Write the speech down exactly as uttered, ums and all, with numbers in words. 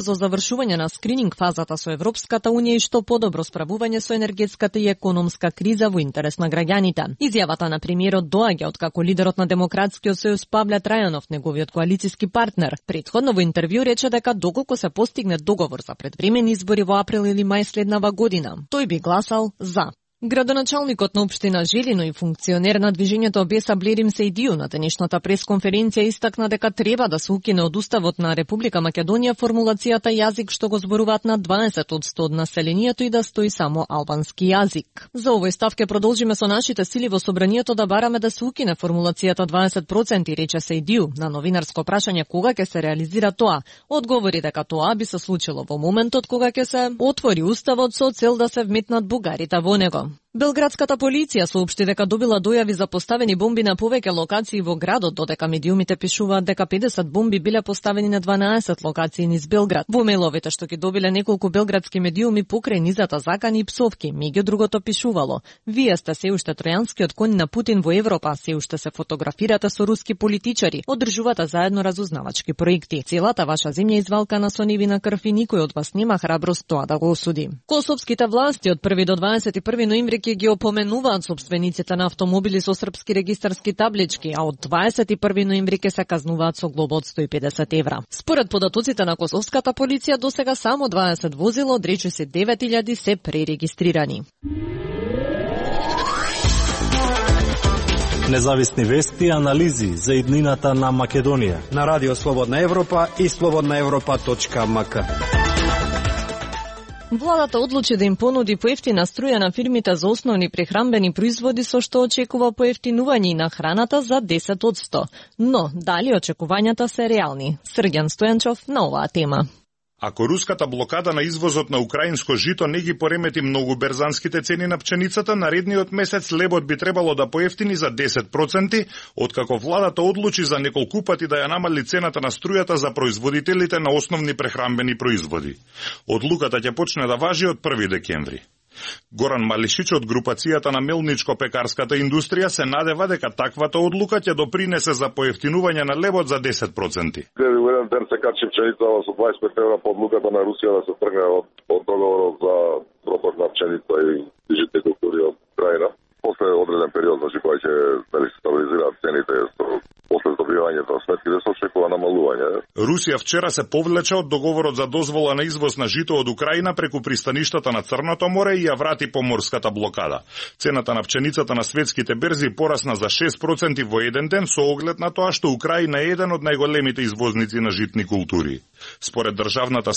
за завршување на скрининг фазата со Европската унија и што подобро справување со енергетската и економска криза во интерес на граѓаните. Изјавата на премиерот доаѓа откако лидерот на Демократскиот сојуз Павле Трајанов, неговиот коалициски партнер, претходно во интервју рече дека доколку се постигне договор за предвремени избори во април или мај следнава година, тој би гласал за. Градоначалникот на општина Желино и функционер на движењето Беса Блерим Сејдију на денешната пресконференција истакна дека треба да се укине од Уставот на Република Македонија формулацијата јазик што го зборуваат на дваесет одсто од населението и да стои само албански јазик. За овој став ке продолжиме со нашите сили во собранието да бараме да се укине формулацијата дваесет проценти, рече Сејдију. На новинарско прашање кога ќе се реализира тоа, одговори дека тоа би се случило во моментот кога ќе се отвори Уставот со цел да се вметнат бугарите во него. Белградската полиција соопшти дека добила дојави за поставени бомби на повеќе локации во градот, додека медиумите пишуваат дека педесет бомби биле поставени на дванаесет локации низ Белград. Во мејловите што ги добиле неколку белградски медиуми покрај низата закани и псовки, меѓу другото пишувало: "Вие сте се уште тројанскиот конј на Путин во Европа, се уште се фотографирате со руски политичари, одржувате заедно разузнавачки проекти. Целата ваша земја извалкана со невина крв и никој од вас нема храброст тоа да го осуди." Косовските власти од први до дваесет и први ноември ќе ги опоменуваат собствениците на автомобили со српски регистарски таблички, а од дваесет и први ноември ќе се казнуваат со глоба од сто и педесет евра. Според податоците на косовската полиција, досега само дваесет возила од речиси девет илјади се пререгистрирани. Независни вести и анализи за иднината на Македонија на Радио Слободна Европа и слободна европа точка ем ка. Владата одлучи да им понуди поевтина струја на фирмите за основни прехранбени производи, со што очекува поевтинување и на храната за десет одсто. Но, дали очекувањата се реални? Срѓан Стојанчов на оваа тема. Ако руската блокада на извозот на украинско жито не ги поремети многу берзанските цени на пченицата, наредниот месец лебот би требало да поевтини за десет проценти, откако владата одлучи за неколку пати да ја намали цената на струјата за производителите на основни прехранбени производи. Одлуката ќе почне да важи од први декември. Горан Малишич од групацијата на мелничко-пекарската индустрија се надева дека таквата одлука ќе допринесе за поевтинување на лебот за десет проценти. Во еден ден се качи пченицава со дваесет и пет евра по одлуката на Русија да се тргне од, од договорот за проток на пченица и житни култури од Украина. После одреден период, значи кога ќе дали се стабилизираат цените, после добивањето на сметките се очекува намалување. Русија вчера се повлече од договорот за дозвола на извоз на жито од Украина преку пристаништата на Црното море и ја врати поморската блокада. Цената на пченицата на светските берзи порасна за шест проценти во еден ден со оглед на тоа што Украина е еден од најголемите извозници на житни култури. Според државната